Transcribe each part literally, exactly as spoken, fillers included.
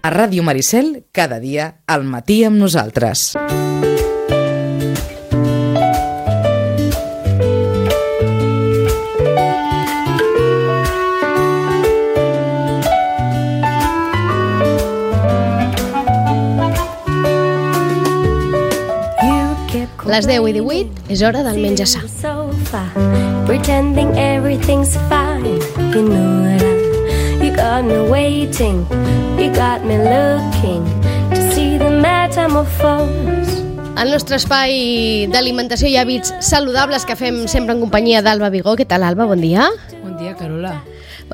A Ràdio Maricel, cada dia, al matí amb nosaltres. Les deu i divuit és hora del menjar sa. Pretending everything's fine. You know that you got me waiting. You got me looking to see the metamorphose. El nostre espai d'alimentació i hàbits saludables que fem sempre en companyia d'Alba Vigó. Què tal, Alba? Bon dia. Bon dia, Carola.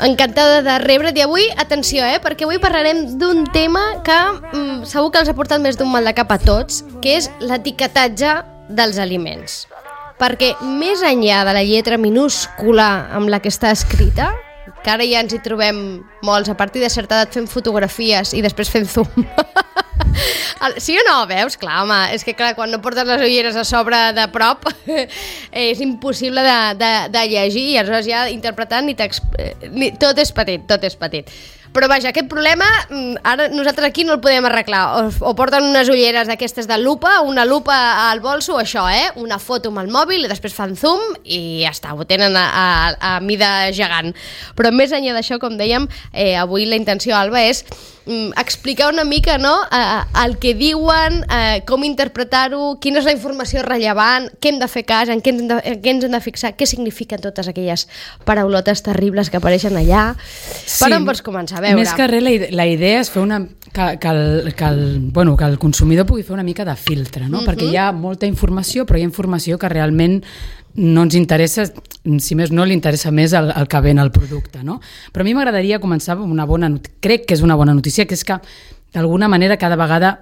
Encantada de rebre't. I avui, atenció, eh, perquè avui parlarem d'un tema que mm, segur que els ha portat més d'un mal de cap a tots, que és l'etiquetatge dels aliments. Perquè més enllà de la lletra minúscula amb la que està escrita, que ara ja ens hi trobem molts a partir de certa edat fent fotografies i després fent zoom. Sí o no? Veus? Clar, home, és que clar, quan no portes les ulleres a sobre de prop és impossible de, de, de llegir i aleshores ja interpretant ni ni, tot és petit, tot és petit. Però vaja, aquest problema ara nosaltres aquí no el podem arreglar. O, o porten unes ulleres d'aquestes de lupa, una lupa al bolso, això, eh? Una foto amb el mòbil i després fan zoom i ja està, ho tenen a, a, a mida gegant. Però més enllà d'això, com dèiem, eh, avui la intenció, Alba, és mm, explicar una mica, no?, eh, el que diuen, eh, com interpretar-ho, quina és la informació rellevant, què hem de fer cas, en què ens, de, en què ens hem de fixar, què signifiquen totes aquelles paraulotes terribles que apareixen allà. Sí. Per on pots començar? A veure. Més que res, la, la idea és fer una, que, que, el, que, el, bueno, que el consumidor pugui fer una mica de filtre, no? Uh-huh. Perquè hi ha molta informació, però hi ha informació que realment no ens interessa, si més no li interessa més el, el que ven el producte, no? Però a mi m'agradaria començar amb una bona notícia, crec que és una bona notícia, que és que d'alguna manera cada vegada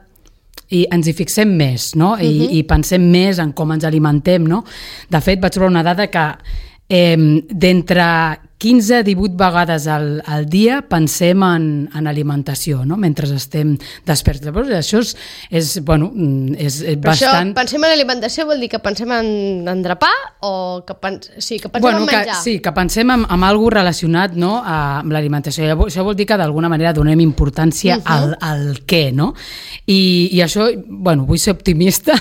i ens hi fixem més, no? I, uh-huh. i pensem més en com ens alimentem, no? De fet, vaig trobar una dada que eh, d'entre quinze a divuit vegades al, al dia pensem en, en alimentació, no? Mentre estem desperts. Llavors, això és, és, bueno, és, és bastant... Això, pensem en alimentació vol dir que pensem en, en drapar o que, pens... sí, que pensem bueno, en menjar? Que, sí, que pensem en, en alguna cosa relacionat, no?, a, amb l'alimentació. Llavors, això vol dir que d'alguna manera donem importància uh-huh. al, al què, no? I, i això, bueno, vull ser optimista.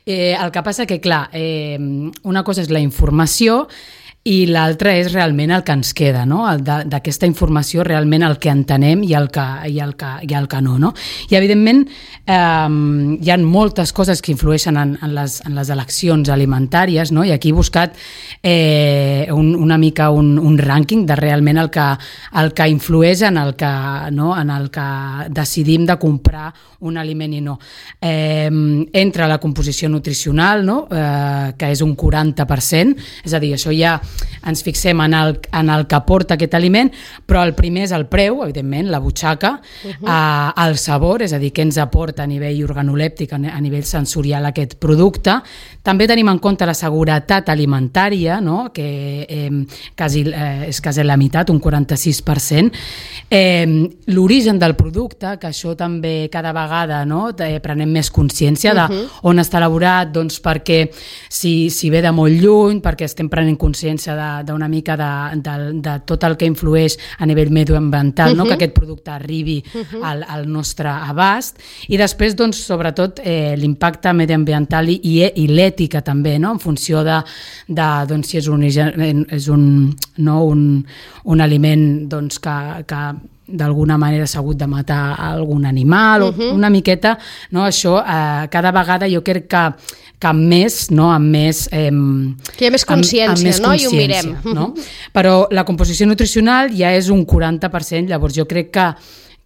eh, el que passa que, clar, eh, una cosa és la informació i l'altre és realment el que ens queda, no? D'aquesta informació realment el que entenem i el que, i el que, i el que no, no? I evidentment eh, hi ha moltes coses que influeixen en, en, les, en les eleccions alimentàries, no? I aquí he buscat eh, un, una mica un, un rànquing de realment el que, el que influeix en el que, no? En el que decidim de comprar un aliment i no. Eh, entra la composició nutricional, no? Eh, que és un quaranta per cent, és a dir, això ja ens fixem en el, en el que porta aquest aliment, però el primer és el preu, evidentment, la butxaca, uh-huh. eh, el sabor, és a dir, què ens aporta a nivell organolèptic, a nivell sensorial aquest producte. També tenim en compte la seguretat alimentària, no? Que eh, quasi, eh, és quasi la meitat, un quaranta-sis per cent. Eh, l'origen del producte, que això també cada vegada, no? eh, prenem més consciència de uh-huh. on està elaborat, doncs perquè si, si ve de molt lluny, perquè estem prenent consciència d'una mica de, de, de tot el que influeix a nivell medioambiental, uh-huh. no? Que aquest producte arribi uh-huh. al, al nostre abast, i després, doncs, sobretot, eh, l'impacte medioambiental i, i l'ètica també, no? En funció de, de doncs, si és un, és un, no? un, un aliment doncs, que, que d'alguna manera s'ha hagut de matar algun animal, uh-huh. o una miqueta, no? Això eh, cada vegada jo crec que, que amb més, no? amb més... Eh, que hi ha més consciència, amb, amb més no? I ho mirem. No? Però la composició nutricional ja és un quaranta per cent, llavors jo crec que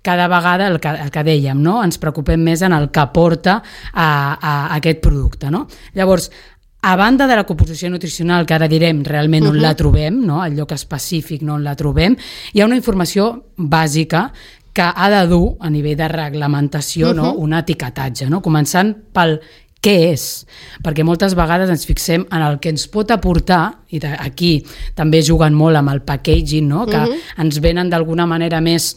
cada vegada, el que, el que dèiem, no? Ens preocupem més en el que aporta a, a aquest producte. No? Llavors, a banda de la composició nutricional, que ara direm realment on uh-huh. la trobem, no? El lloc específic no on la trobem, hi ha una informació bàsica que ha de dur, a nivell de reglamentació, uh-huh. no? Un etiquetatge, no? Començant pel què és, perquè moltes vegades ens fixem en el que ens pot aportar, i aquí també juguen molt amb el packaging, no? Que uh-huh. ens venen d'alguna manera més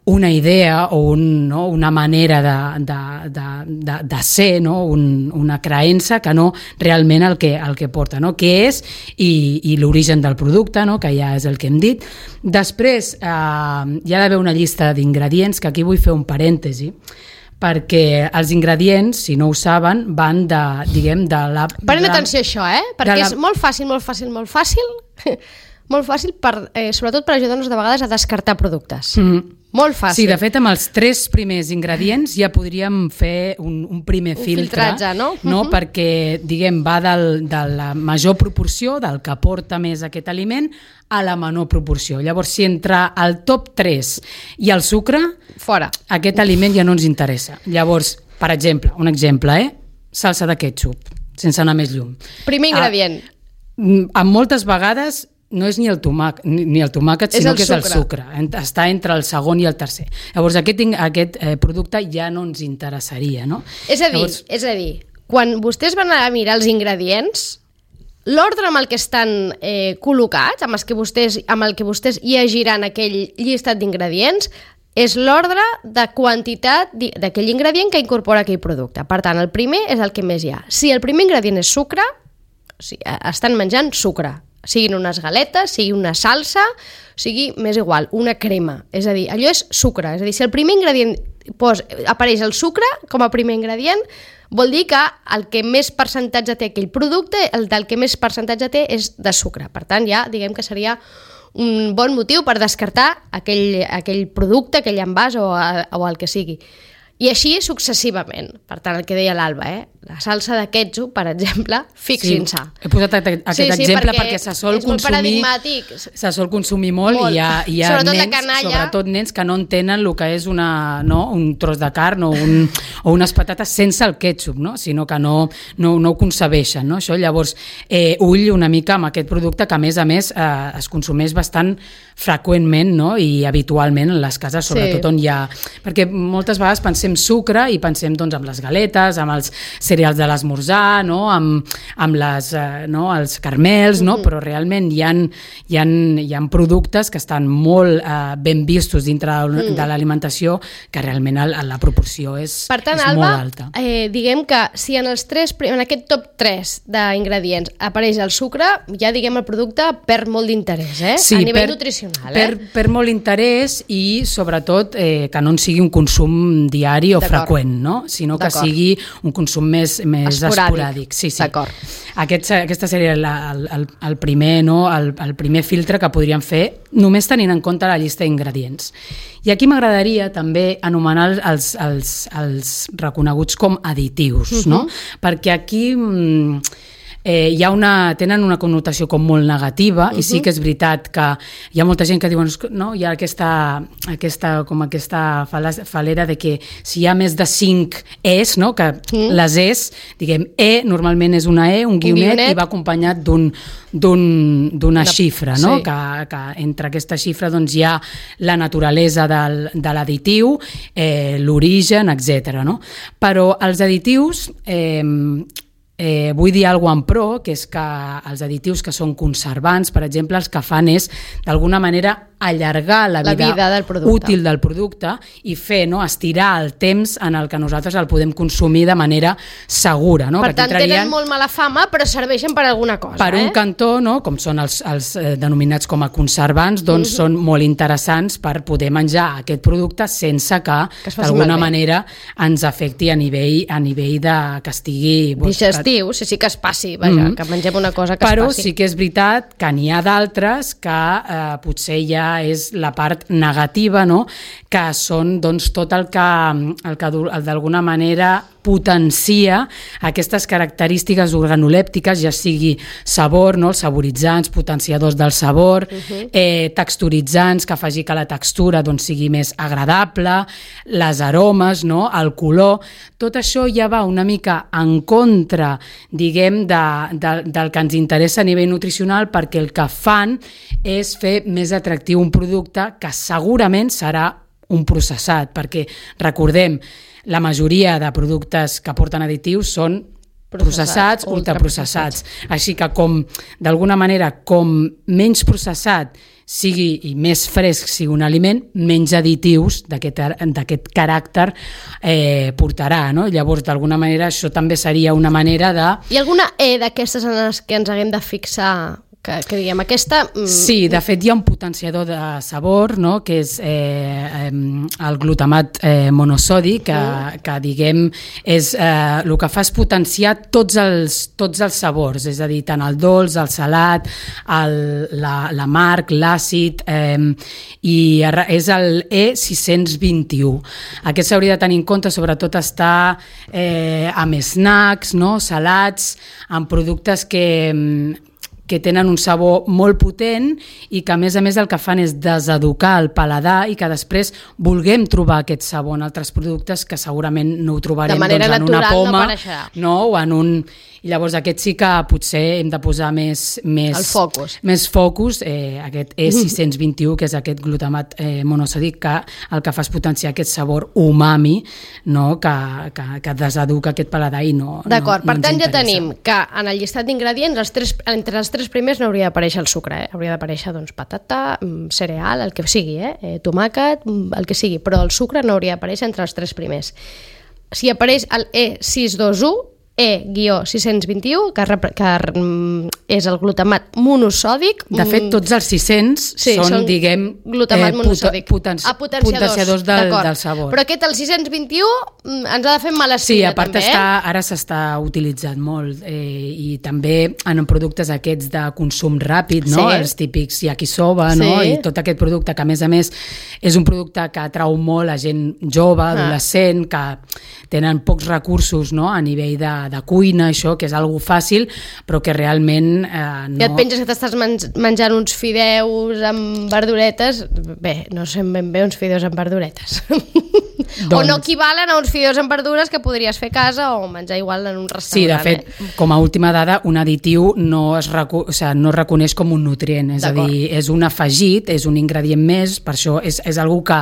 una idea o un, no, una manera de, de, de, de, de ser, no? un, una creença que no realment el que, el que porta, no? Què és i, i l'origen del producte, no? Que ja és el que hem dit. Després eh, hi ha d'haver una llista d'ingredients, que aquí vull fer un parèntesi, perquè els ingredients, si no ho saben, van de, diguem, de la... Prenent atenció a això, eh? Perquè la... és molt fàcil, molt fàcil, molt fàcil, molt fàcil, per, eh, sobretot per ajudar-nos de vegades a descartar productes. Mm. Molt fàcil. Sí, de fet, amb els tres primers ingredients ja podríem fer un, un primer un filtre, filtratge, no? no? Uh-huh. Perquè, diguem, va del, de la major proporció, del que aporta més aquest aliment, a la menor proporció. Llavors, si entre el top tres i el sucre, fora. Aquest aliment ja no ens interessa. Llavors, per exemple, un exemple, eh? Salsa de ketchup, sense anar més llum. Primer ingredient. Ah, amb moltes vegades no és ni el tomàquet, ni el tomàquet sinó el que és sucre. el sucre. Està entre el segon i el tercer. Llavors, aquest, aquest eh, producte ja no ens interessaria, no? És a dir, Llavors... és a dir, quan vostès van a mirar els ingredients, l'ordre amb el que estan eh, col·locats, amb, els que vostès, amb el que vostès llegiran aquell llistat d'ingredients, és l'ordre de quantitat d'aquell ingredient que incorpora aquell producte. Per tant, el primer és el que més hi ha. Si el primer ingredient és sucre, o sigui, estan menjant sucre, siguin unes galetes, sigui una salsa, sigui, més igual, una crema. És a dir, allò és sucre. És a dir, si el primer ingredient pos, apareix el sucre com a primer ingredient, vol dir que el que més percentatge té aquell producte, el del que més percentatge té és de sucre. Per tant, ja diguem que seria un bon motiu per descartar aquell, aquell producte, aquell envàs o, o el que sigui. I així successivament. Per tant, el que deia l'Alba, eh? La salsa de ketchup, per exemple, fixin-se. Sí, he posat aquest sí, sí, exemple perquè, perquè se sol és molt consumir, paradigmàtic. se sol consumir molt, molt. I hi ha, hi ha sobretot nens, la canalla, sobretot nens que no entenen el que és una, no, un tros de carn o, un, o unes patates sense el ketchup, no? Sinó que no, no, no ho concebeixen. No? Això, llavors, eh, ull una mica amb aquest producte que, a més a més, eh, es consumeix bastant freqüentment, no? I habitualment en les cases, sobretot sí. On hi ha... Perquè moltes vegades pensem sucre i pensem doncs, amb les galetes, amb els cereals de l'esmorzar, no? amb, amb les, eh, no? els carmels, no? Mm-hmm. Però realment hi ha, hi, ha, hi ha productes que estan molt eh, ben vistos dintre de, mm. de l'alimentació que realment el, la proporció és, per tant, és Alba, molt alta. Eh, diguem que si en, els tres, en aquest top tres d'ingredients apareix el sucre, ja diguem el producte perd molt d'interès, eh? Sí, a nivell per, nutricional. Per, eh? per molt interès i sobretot eh, que no en sigui un consum diari o freqüent, no? Sinó que sigui un consum més, més esporàdic. esporàdic. Sí, sí. D'acord. Aquest, aquesta seria la, el, el, el, primer, no? el, el primer filtre que podríem fer només tenint en compte la llista d'ingredients. I aquí m'agradaria també anomenar els, els, els reconeguts com additius, uh-huh. no? Perquè aquí... Mm, Eh, hi ha una, tenen una connotació com molt negativa uh-huh. i sí que és veritat que hi ha molta gent que diuen no, hi ha aquesta, aquesta, com aquesta falera de que si hi ha més de cinc es, no, que uh-huh. les es, diguem, e normalment és una e, un guionet, un guionet. I va acompanyat d'un, d'un, d'una de, xifra, no? Sí. Que, que entre aquesta xifra doncs, hi ha la naturalesa del, de l'additiu, eh, l'origen, etcètera. No? Però els additius... Eh, Eh, vull dir alguna cosa en pro, que és que els additius que són conservants, per exemple, els que fan és, d'alguna manera, allargar la vida, la vida del útil del producte i fer, no, estirar el temps en el que nosaltres el podem consumir de manera segura. No? Per tant, tenen molt mala fama, però serveixen per alguna cosa. Per eh? un cantó, no, com són els, els eh, denominats com a conservants, doncs mm-hmm. són molt interessants per poder menjar aquest producte sense que, que d'alguna manera ens afecti a nivell, a nivell de que estigui... digestiu, sí, sí que es passi, vaja, mm-hmm. que mengem una cosa que però es passi. Però sí que és veritat que n'hi ha d'altres que eh, potser ja és la part negativa, no? Que són doncs, tot el que, el que d'alguna manera potencia aquestes característiques organolèptiques, ja sigui sabor, no? Els saboritzants, potenciadors del sabor, uh-huh. eh, texturitzants, que faci que la textura doncs, sigui més agradable, les aromes, no? El color, tot això ja va una mica en contra, diguem, de, de, del que ens interessa a nivell nutricional, perquè el que fan és fer més atractiu un producte que segurament serà un processat, perquè recordem, la majoria de productes que porten additius són processats, processats ultraprocessats. Així que com, d'alguna manera, com menys processat sigui i més fresc sigui un aliment, menys additius d'aquest caràcter eh, portarà, no? Llavors, d'alguna manera, això també seria una manera de... Hi ha alguna E d'aquestes en les que ens haguem de fixar? Que, que diguem, aquesta... Sí, de fet hi ha un potenciador de sabor, no?, que és eh, el glutamat eh, monosòdic, que, mm. que diguem, és, eh, el que fa és potenciar tots els, tots els sabors, és a dir, tant el dolç, el salat, el, la, l'amarg, l'àcid, eh, i és el E sis cents vint-i-u. Aquest s'hauria de tenir en compte, sobretot està eh, amb snacks, no?, salats, amb productes que... que tenen un sabor molt potent i que a més a més el que fan és deseducar el paladar i que després vulguem trobar aquest sabor en altres productes que segurament no ho trobarem doncs, en una poma, no, no, o en un... I llavors aquest sí que potser hem de posar més... més el focus. Més focus, eh, aquest E sis cents vint-i-u, que és aquest glutamat eh, monosòdic, que el que fa és potenciar aquest sabor umami, no?, que, que, que deseduca aquest paladar i no... D'acord, no, per no tant ja interessa. tenim que en el llistat d'ingredients, els tres, entre els tres primers no hauria d'aparèixer el sucre, eh? Hauria d'aparèixer doncs, patata, cereal, el que sigui, eh? Eh, tomàquet, el que sigui, però el sucre no hauria d'aparèixer entre els tres primers. Si apareix el E sis cents vint-i-u, E sis cents vint-i-u, que, que és el glutamat monosòdic. De fet, tots els sis cents sí, són, són diguem, glutamat monosòdic. Potenci ah, potenciadors, potenciadors del, del sabor. Però aquest, el sis cents vint-i-u, ens ha de fer mala espina, sí, a part també, està, eh? ara s'està utilitzant molt eh, i també en productes aquests de consum ràpid, no? Sí. Els típics yakisoba, sí. no? I tot aquest producte que a més a més és un producte que atrau molt a gent jove, ah. adolescent, que tenen pocs recursos, no?, a nivell de, de cuina, això, que és algo fàcil, però que realment eh, no... I et penses que t'estàs menjant uns fideus amb verduretes, bé, no sé ben bé uns fideus amb verduretes. Doncs... O no equivalen a uns fideus amb verdures que podries fer a casa o menjar igual en un restaurant. Sí, de fet, eh? com a última dada, un additiu no es, recu... o sigui, no es reconeix com un nutrient, és a dir, és un afegit, és un ingredient més, per això és, és algo que,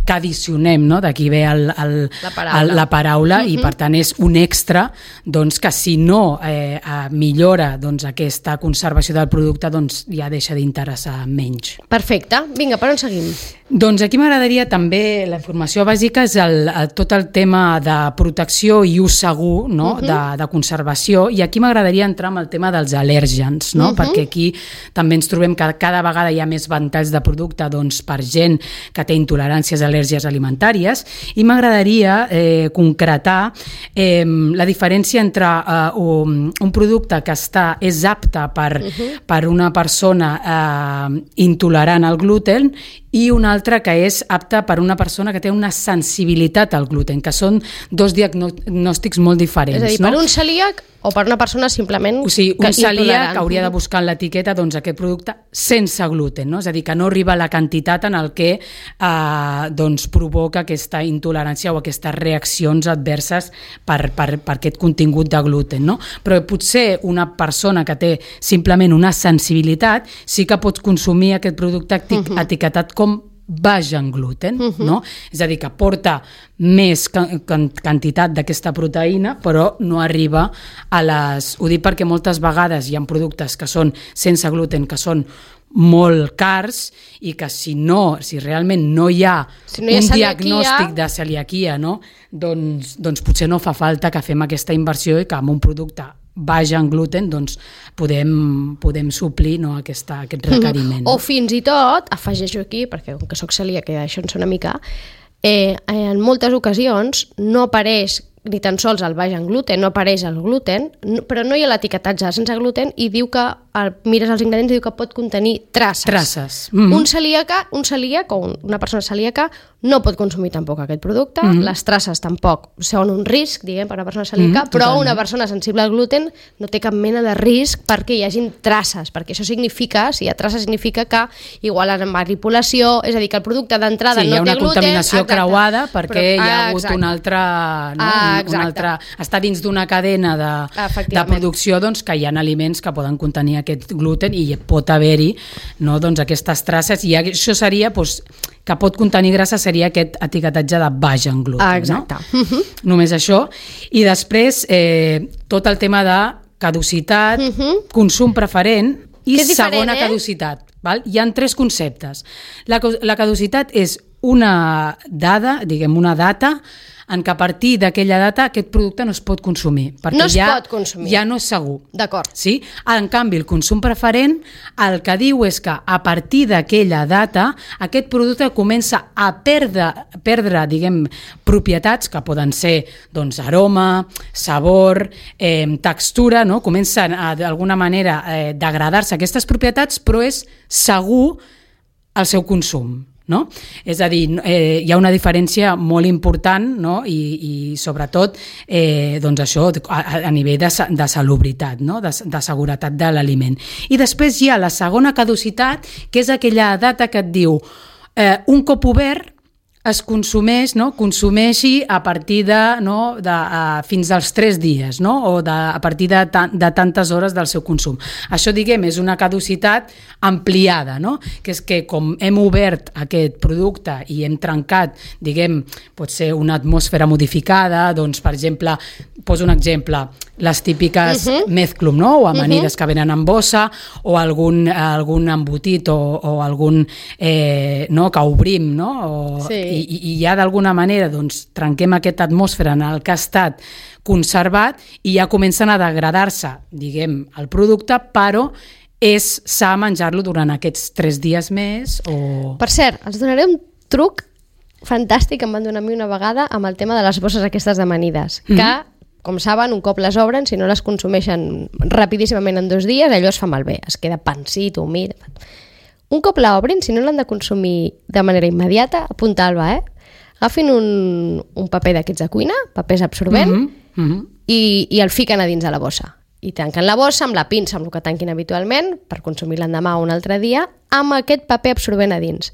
que addicionem, no?, d'aquí ve el, el, la paraula, el, la paraula uh-huh. i per tant és un extra, doncs que si no eh, millora doncs, aquesta conservació del producte, doncs ja deixa d'interessar menys. Perfecte, vinga, per on seguim? Doncs aquí m'agradaria també, la informació bàsica és el, el, tot el tema de protecció i ús segur, no? uh-huh. de, de conservació, i aquí m'agradaria entrar amb el tema dels al·lèrgens, no? uh-huh. perquè aquí també ens trobem que cada vegada hi ha més ventalls de producte doncs, per gent que té intoleràncies, al·lèrgies alimentàries, i m'agradaria eh, concretar eh, la diferència entre eh, un, un producte que està, és apte per, uh-huh. per una persona eh, intolerant al gluten i un altre que és apte per una persona que té una sensibilitat al gluten, que són dos diagnòstics molt diferents. És a dir, no? per un celíac o per una persona simplement o sigui, un celíac intolerant. hauria de buscar en l'etiqueta doncs, aquest producte sense gluten, no? És a dir, que no arriba a la quantitat en el que eh, doncs, provoca aquesta intolerància o aquestes reaccions adverses per, per, per aquest contingut de gluten, no? Però potser una persona que té simplement una sensibilitat sí que pot consumir aquest producte eti- uh-huh. etiquetat com baix en gluten, uh-huh. no? És a dir, que porta més quantitat d'aquesta proteïna, però no arriba a les... Ho dic perquè moltes vegades hi ha productes que són sense gluten, que són molt cars i que si no, si realment no hi ha, si no hi ha un celiaquia... diagnòstic de celiaquia, no? doncs, doncs potser no fa falta que fem aquesta inversió i que amb un producte baix en gluten doncs podem, podem suplir, no, aquesta, aquest requeriment. O fins i tot, afegeixo aquí, perquè com que soc celíaca i això en sona una mica, eh, en moltes ocasions no apareix ni tan sols el baix en gluten, no apareix el gluten, no, però no hi ha l'etiquetatge sense gluten i diu que, el, mires els ingredients i diu que pot contenir traces. Traces. Mm-hmm. Un celíac, un celíac o un, una persona celíaca no pot consumir tampoc aquest producte, mm-hmm. les traces tampoc són un risc, diguem, per a una persona celíaca, mm-hmm, però totalment. Una persona sensible al gluten no té cap mena de risc perquè hi hagin traces, perquè això significa, si hi ha traces significa que igual en manipulació, és a dir, que el producte d'entrada sí, no té gluten... Sí, hi ha una contaminació exacte. creuada perquè però, hi ha ah, hagut exacte. un altre... No? Ah, un altre, està dins d'una cadena de, de producció doncs, que hi ha aliments que poden contenir aquest gluten i pot haver-hi no, doncs, aquestes traces i això seria doncs, que pot contenir grassa seria aquest etiquetatge de baix en gluten. Ah, exacte. No? Uh-huh. Només això. I després eh, tot el tema de caducitat, uh-huh. consum preferent i segona eh? caducitat. Val? Hi ha tres conceptes. La, la caducitat és una dada, diguem, una data en què a partir d'aquella data aquest producte no es pot consumir. Perquè no es ja, pot consumir. Ja no és segur. D'acord. Sí? En canvi, el consum preferent el que diu és que a partir d'aquella data aquest producte comença a perdre, perdre diguem, propietats que poden ser doncs, aroma, sabor, eh, textura, no? Comencen a, d'alguna manera eh, degradar-se aquestes propietats, però és segur el seu consum. No? És a dir, eh, hi ha una diferència molt important, no? I, i sobretot eh, doncs això a, a nivell de, de salubritat, no? de, de seguretat de l'aliment. I després hi ha la segona caducitat, que és aquella data que et diu eh, un cop obert es consumeix, no? Consumeixi a partir de, no? de uh, fins als tres dies, no? O de, a partir de, ta de tantes hores del seu consum. Això, diguem, és una caducitat ampliada, no? Que és que com hem obert aquest producte i hem trencat, diguem, pot ser una atmosfera modificada, doncs, per exemple, poso un exemple, les típiques uh-huh. mezclum, no? O amanides uh-huh. que venen en bossa, o algun, algun embotit o, o algun eh, no? que obrim, no? O, sí. I, i ja d'alguna manera doncs, trenquem aquesta atmosfera en el que ha estat conservat i ja comencen a degradar-se, diguem, el producte, però és sa menjar-lo durant aquests tres dies més o... Per cert, els donaré un truc fantàstic que em van donar a mi una vegada amb el tema de les bosses aquestes d'amanides, mm-hmm. que, com saben, un cop les obren, si no les consumeixen rapidíssimament en dos dies, allò es fa malbé, es queda pansit, humit... Un cop l'obrin, si no l'han de consumir de manera immediata, apunta-la, eh? Agafin un, un paper d'aquests de cuina, papers absorbent, mm-hmm. Mm-hmm. i, i el fiquen a dins de la bossa. I tanquen la bossa amb la pinça, amb el que tanquin habitualment, per consumir l'endemà o un altre dia, amb aquest paper absorbent a dins.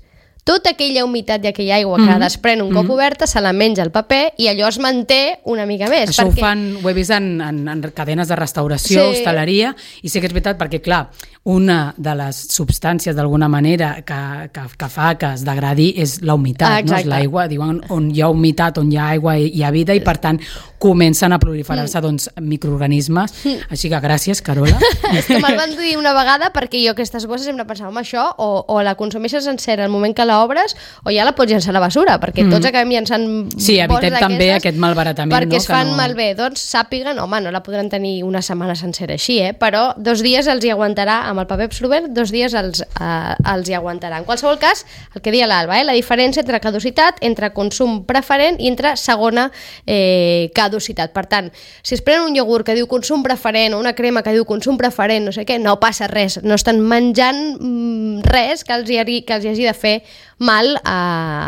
Tota aquella humitat i aquella aigua mm-hmm. que desprèn un cop mm-hmm. oberta se la menja el paper i allò es manté una mica més. Això perquè... ho fan, ho he vist en, en, en cadenes de restauració, sí. hostaleria, i sí que és veritat perquè, clar, una de les substàncies d'alguna manera que, que, que fa que es degradi és la humitat, ah, no? És l'aigua, diuen on hi ha humitat, on hi ha aigua hi ha vida i per tant comencen a proliferar-se mm. doncs, microorganismes, mm. així que gràcies, Carola. És que me'l van dir una vegada perquè jo aquestes bosses hem de pensar en això, o, o la consumeixes sencera al moment que l'obres o ja la pots llançar a la basura, perquè mm. tots acabem llançant sí, evitem també aquest malbaratament. Perquè no? es fan no... malbé, doncs sàpiguen, home, no la podran tenir una setmana sencera així, eh? Però dos dies els hi aguantarà amb el paper absorbent, dos dies els, eh, els hi aguantarà. En qualsevol cas, el que deia l'Alba, eh? La diferència entre caducitat, entre consum preferent i entre segona eh, caducitat. Per tant, si es prenen un iogurt que diu consum preferent o una crema que diu consum preferent, no sé què, no passa res, no estan menjant mm, res que els, hi, que els hi hagi de fer mal a,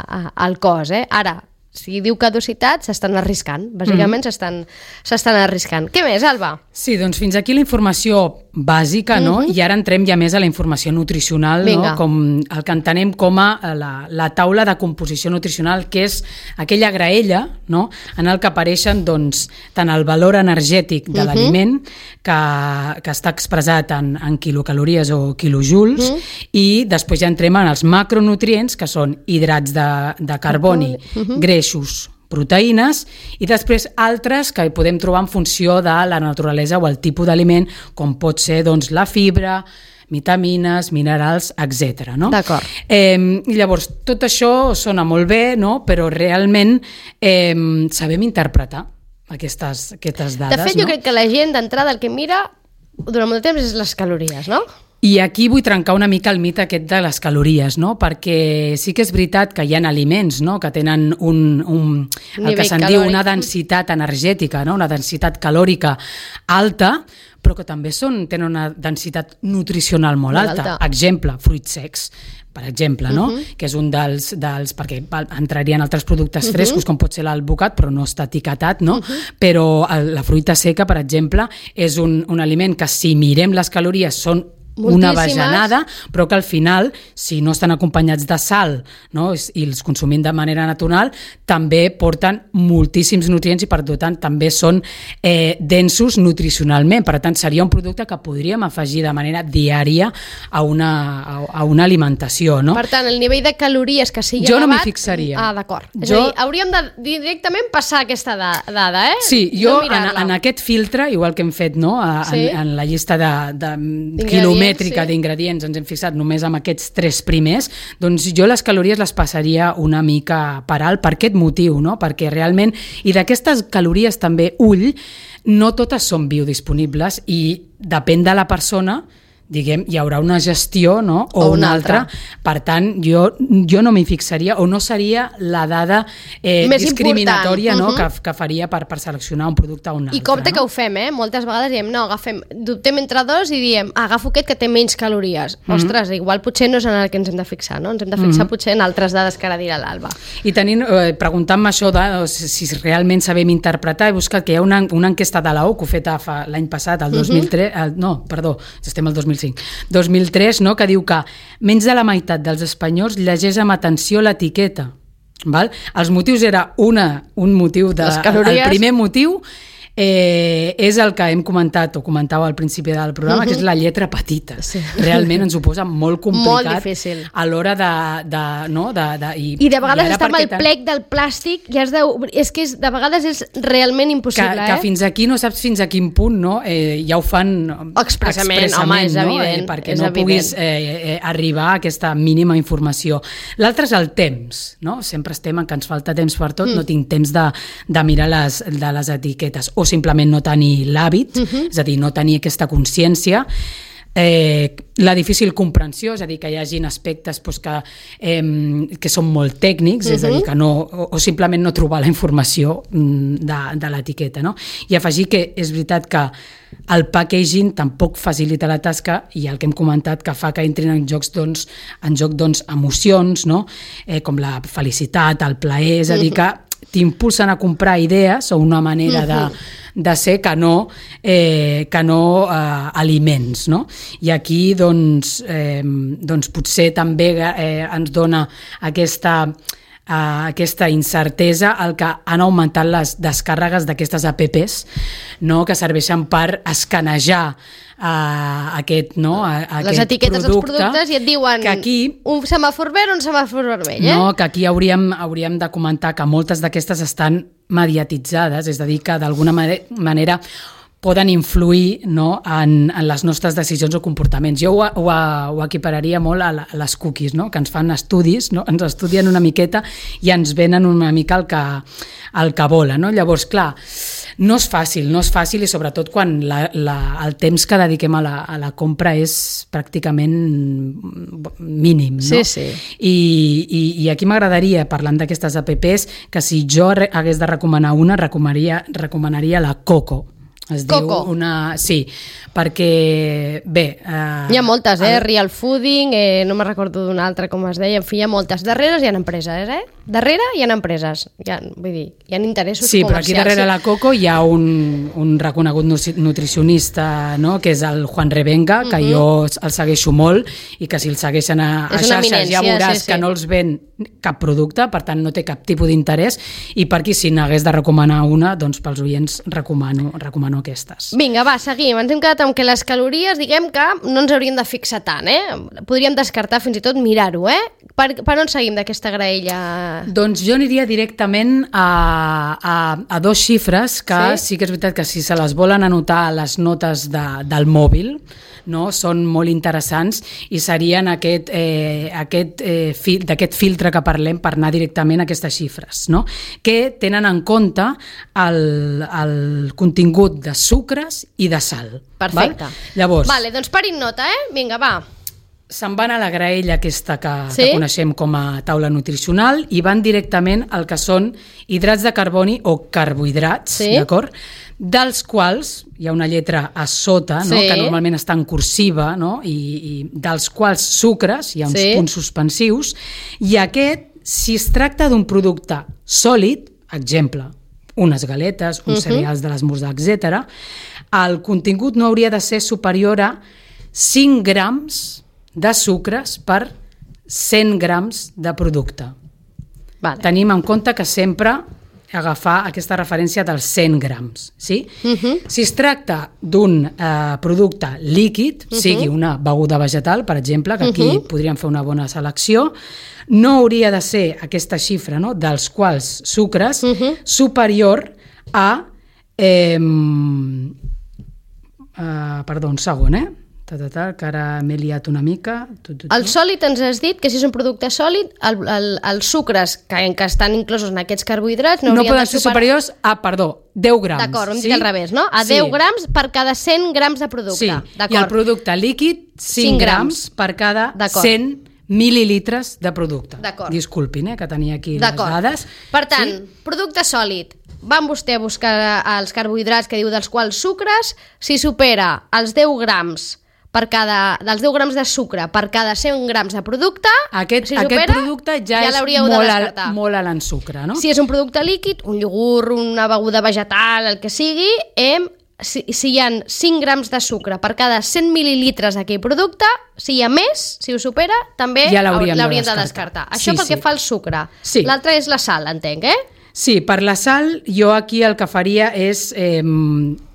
a, al cos. Eh? Ara, si diu caducitat, s'estan arriscant. Bàsicament mm-hmm. s'estan arriscant. Què més, Alba? Sí, doncs fins aquí la informació bàsica, no? Mm-hmm. I ara entrem ja més a la informació nutricional, no? Com el que entenem com a la, la taula de composició nutricional, que és aquella graella, no? En el que apareixen doncs, tant el valor energètic de mm-hmm. l'aliment, que, que està expressat en, en quilocalories o quilojoules, mm-hmm. i després ja entrem en els macronutrients, que són hidrats de, de carboni, mm-hmm. greixos, proteïnes, i després altres que podem trobar en funció de la naturalesa o el tipus d'aliment, com pot ser doncs, la fibra, vitamines, minerals, etcètera. No? D'acord. Eh, llavors, tot això sona molt bé, no? Però realment eh, sabem interpretar aquestes, aquestes dades. De fet, jo no? crec que la gent d'entrada el que mira durant molt de temps és les calories, no? I aquí vull trencar una mica el mite aquest de les calories, no? Perquè sí que és veritat que hi ha aliments, no? Que tenen un, un, el que se'n diu una densitat energètica, no? Una densitat calòrica alta, però que també són, tenen una densitat nutricional molt, molt alta. alta. Exemple, fruits secs, per exemple, no? Uh-huh. Que és un dels, dels... perquè entrarien altres productes frescos, uh-huh. com pot ser l'alvocat, però no està etiquetat, no? Uh-huh. Però la fruita seca, per exemple, és un, un aliment que si mirem les calories són una bajanada, però que al final, si no estan acompanyats de sal, no? I els consumim de manera natural, també porten moltíssims nutrients i per tant també són eh, densos nutricionalment. Per tant, seria un producte que podríem afegir de manera diària a una, a, a una alimentació. No? Per tant, el nivell de calories que sigui jo elevat... no m'hi fixaria. Ah, d'acord. És jo... a dir, hauríem de directament passar aquesta dada, eh? Sí, jo no en, en aquest filtre, igual que hem fet no? a, sí? en, en la llista de, de quilomètrics, mètrica sí. d'ingredients ens hem fixat només amb aquests tres primers, doncs jo les calories les passaria una mica per alt per aquest motiu, no? Perquè realment, i d'aquestes calories també, ull, no totes són biodisponibles i depèn de la persona, diguem, hi haurà una gestió, no? o, o una altra. altra. Per tant, jo, jo no m'hi fixaria o no seria la dada eh, discriminatòria no? uh -huh. que, que faria per, per seleccionar un producte o un altre. I compte no? que ho fem, eh? Moltes vegades diem, no, agafem, dubtem entre dos i diem, agafo aquest que té menys calories. Uh -huh. Ostres, igual potser no és en el que ens hem de fixar, no? Ens hem de fixar uh -huh. potser en altres dades que ara dirà l'Alba. I tenint, eh, preguntant-me això de si, si realment sabem interpretar, he buscat que hi ha una, una enquesta de l'A O C U feta fa l'any passat, el dos mil tres, uh -huh. el, no, perdó, estem al dos mil cinc, dos mil tres, no? Que diu que menys de la meitat dels espanyols llegeix amb atenció l'etiqueta. Val? Els motius era una, un motiu de... Les calories. El primer motiu eh, és el que hem comentat o comentàveu al principi del programa, uh-huh. que és la lletra petita. Sí. Realment ens ho posa molt complicat. Molt difícil. A l'hora de, de, no, de, de... I, I de vegades i està amb el tan... plec del plàstic i has de... És que és, de vegades és realment impossible, que, eh? que fins aquí no saps fins a quin punt, no? Eh, ja ho fan expressament, expressament home, és no? evident. Eh, perquè és no evident. puguis eh, eh, arribar a aquesta mínima informació. L'altre és el temps, no? Sempre estem en que ens falta temps per tot, mm. no tinc temps de, de mirar les, de les etiquetes, o simplement no tenir l'hàbit, uh-huh. és a dir, no tenir aquesta consciència, eh, la difícil comprensió, és a dir, que hi hagin aspectes pues, que, eh, que són molt tècnics, uh-huh. és a dir, que no, o, o simplement no trobar la informació de, de l'etiqueta, no? I afegir que és veritat que el packaging tampoc facilita la tasca i el que hem comentat que fa que entrin en jocs doncs, en joc doncs, emocions, no? eh, com la felicitat, el plaer, és a dir, que t'impulsen a comprar idees o una manera de, de ser que no, eh, que no eh, aliments. No? I aquí doncs, eh, doncs potser també eh, ens dona aquesta, eh, aquesta incertesa el que han augmentat les descàrregues d'aquestes apps, no? Que serveixen per escanejar Uh, aquest, no? A, aquest les etiquetes producte, dels productes i et diuen que aquí, un semàfor verd o un semàfor vermell, eh? No, que aquí hauríem, hauríem de comentar que moltes d'aquestes estan mediatitzades, és a dir, que d'alguna manera poden influir, no, en, en les nostres decisions o comportaments. Jo ho, ho, ho equipararia molt a, la, a les cookies, no? Que ens fan estudis, no? Ens estudien una miqueta i ens venen una mica el que, el que volen. No? Llavors, clar, no és fàcil, no és fàcil i sobretot quan la, la, el temps que dediquem a la, a la compra és pràcticament mínim. No? Sí, sí. I, i, i aquí m'agradaria, parlant d'aquestes apps, que si jo hagués de recomanar una, recomanaria, recomanaria la Coco. Es Coco. Diu una... Sí, perquè, bé... Eh, hi ha moltes, eh? El... Real Fooding, eh, no me recordo d'una altra, com es deia, en fi, hi ha moltes. Darrere hi ha empreses, eh? Darrere hi ha empreses, hi ha, vull dir, hi ha interessos sí, comercials. Sí, però aquí darrere la Coco hi ha un, un reconegut nutricionista, no?, que és el Juan Revenga, que uh-huh. jo el segueixo molt i que si el segueixen a, a xarxes ja veuràs sí, sí. que no els ven cap producte, per tant no té cap tipus d'interès, i per aquí si n'hagués de recomanar una, doncs pels oients recomano, recomano aquestes. Vinga, va, seguim. Ens hem quedat amb que les calories, diguem que no ens hauríem de fixar tant, eh? Podríem descartar fins i tot mirar-ho, eh? Per, per on seguim d'aquesta graella? Doncs jo aniria directament a, a, a dos xifres que sí? sí que és veritat que si se les volen anotar a les notes de, del mòbil, no? Són molt interessants i serien aquest, eh, aquest, eh, fil, d'aquest filtre que parlem per anar directament a aquestes xifres, no? Que tenen en compte el, el contingut de sucres i de sal. Perfecte. Val? Llavors, vale, doncs parin nota, eh? Vinga, va. Se'n van a la graella aquesta que, sí? que coneixem com a taula nutricional i van directament al que són hidrats de carboni o carbohidrats, sí? d'acord? Dels quals hi ha una lletra a sota, no? Sí. Que normalment està en cursiva, no? I, i dels quals sucres, hi ha uns sí? punts suspensius, i aquest, si es tracta d'un producte sòlid, exemple, unes galetes, uns uh-huh. cereals de l'esmorzar, etcètera, el contingut no hauria de ser superior a cinc grams de sucres per cent grams de producte. Vale. Tenim en compte que sempre agafar aquesta referència dels cent grams. Sí? Uh-huh. Si es tracta d'un eh, producte líquid, uh-huh. sigui una beguda vegetal, per exemple, que aquí uh-huh. podríem fer una bona selecció, no hauria de ser aquesta xifra, no?, dels quals sucres uh-huh. superior a... Eh, eh, perdó, un segon, eh? ta, ta, ta, que ara m'he liat una mica. Tu, tu, tu. El sòlid ens has dit que si és un producte sòlid, el, el, els sucres que, que estan inclosos en aquests carbohidrats no, no haurien poden de ser superar... superiors a, perdó, deu grams. D'acord, ho hem sí? dit al revés, no? A Sí. deu grams per cada cent grams de producte. Sí, i el producte líquid, cinc, cinc grams per cada cent mil·lilitres de producte. Disculpin, eh, que tenia aquí les dades. Per tant, sí? Producte sòlid. Van vostè a buscar els carbohidrats que diu dels quals sucres, si supera els deu grams per cada, dels deu grams de sucre per cada cent grams de producte, aquest, si supera, aquest producte ja, ja és molt, al, molt alt en sucre, no? Si és un producte líquid, un iogurt, una beguda vegetal, el que sigui, hem, si, si hi ha cinc grams de sucre per cada cent mil·lilitres d'aquell producte, si hi ha més, si ho supera, també ja l'hauríem de, de de descartar. Això sí, pel sí. que fa al sucre. Sí. L'altre és la sal, entenc, eh? Sí, per la sal, jo aquí el que faria és... Eh,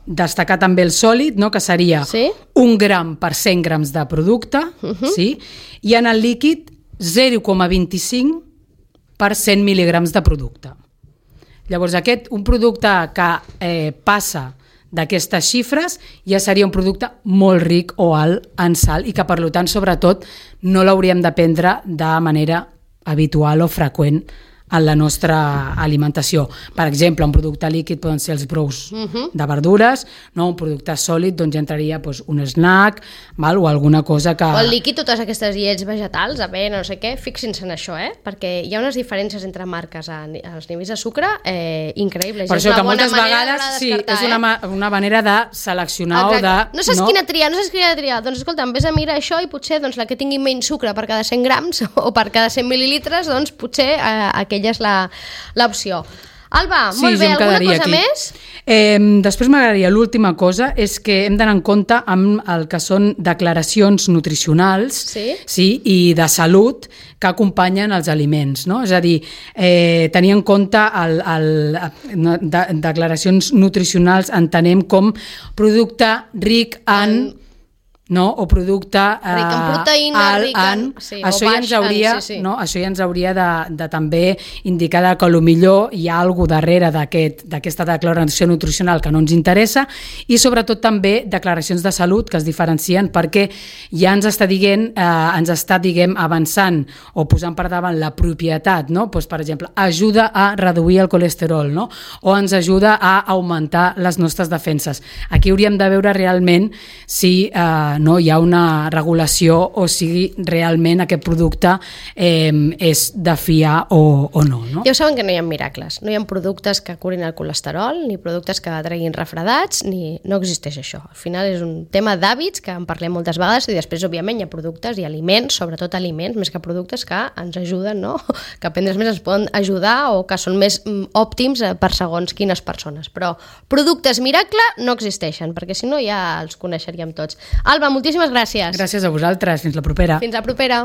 destacar també el sòlid, no? Que seria sí? un gram per cent grams de producte, uh-huh. sí? I en el líquid zero coma vint-i-cinc per cent mil·ligrams de producte. Llavors, aquest, un producte que eh, passa d'aquestes xifres ja seria un producte molt ric o alt en sal i que, per tant, sobretot, no l'hauríem de prendre de manera habitual o freqüent en la nostra alimentació. Per exemple, un producte líquid poden ser els brous uh-huh. de verdures, no? Un producte sòlid doncs ja entraria doncs, un snack, val? O alguna cosa que... O el líquid, totes aquestes llets vegetals, avena, no sé què, fixin-se en això, eh? Perquè hi ha unes diferències entre marques a, als nivells de sucre eh, increïbles. Per és això que moltes de vegades sí, és una, eh? una manera de seleccionar Exacte. o de... No saps no? quina triar, no saps quina triar. Doncs escolta, en vez de mirar això i potser doncs, la que tingui menys sucre per cada cent grams o per cada cent mil·lilitres, doncs potser eh, aquella és l'opció. Alba, sí, molt bé, alguna cosa aquí. més? Eh, després m'agradaria, l'última cosa és que hem d'anar en compte amb el que són declaracions nutricionals sí? Sí, i de salut que acompanyen els aliments, no? És a dir, eh, tenir en compte el, el, de, declaracions nutricionals entenem com producte ric en... en no? O producte eh, ric en proteïna, alt ric en... en... Sí, això, ja ens hauria, en, sí, sí. No? Això ja ens hauria de, de també indicar que potser hi ha alguna darrere d'aquesta aquest, declaració nutricional que no ens interessa i sobretot també declaracions de salut que es diferencien perquè ja ens està dient, eh, ens està diguem avançant o posant per davant la propietat, no? Pues, per exemple, ajuda a reduir el colesterol, no? O ens ajuda a augmentar les nostres defenses. Aquí hauríem de veure realment si eh, no hi ha una regulació o sigui realment aquest producte eh, és de fiar o, o no, no. Ja ho saben que no hi ha miracles, no hi ha productes que curin el colesterol, ni productes que treguin refredats, ni no existeix això. Al final és un tema d'hàbits que en parlem moltes vegades i després, òbviament, hi ha productes i aliments, sobretot aliments, més que productes que ens ajuden, no? Que a prendre's més ens poden ajudar o que són més òptims per segons quines persones. Però productes miracle no existeixen, perquè si no ja els coneixeríem tots. Alba, moltíssimes gràcies. Gràcies a vosaltres. Fins la propera. Fins la propera.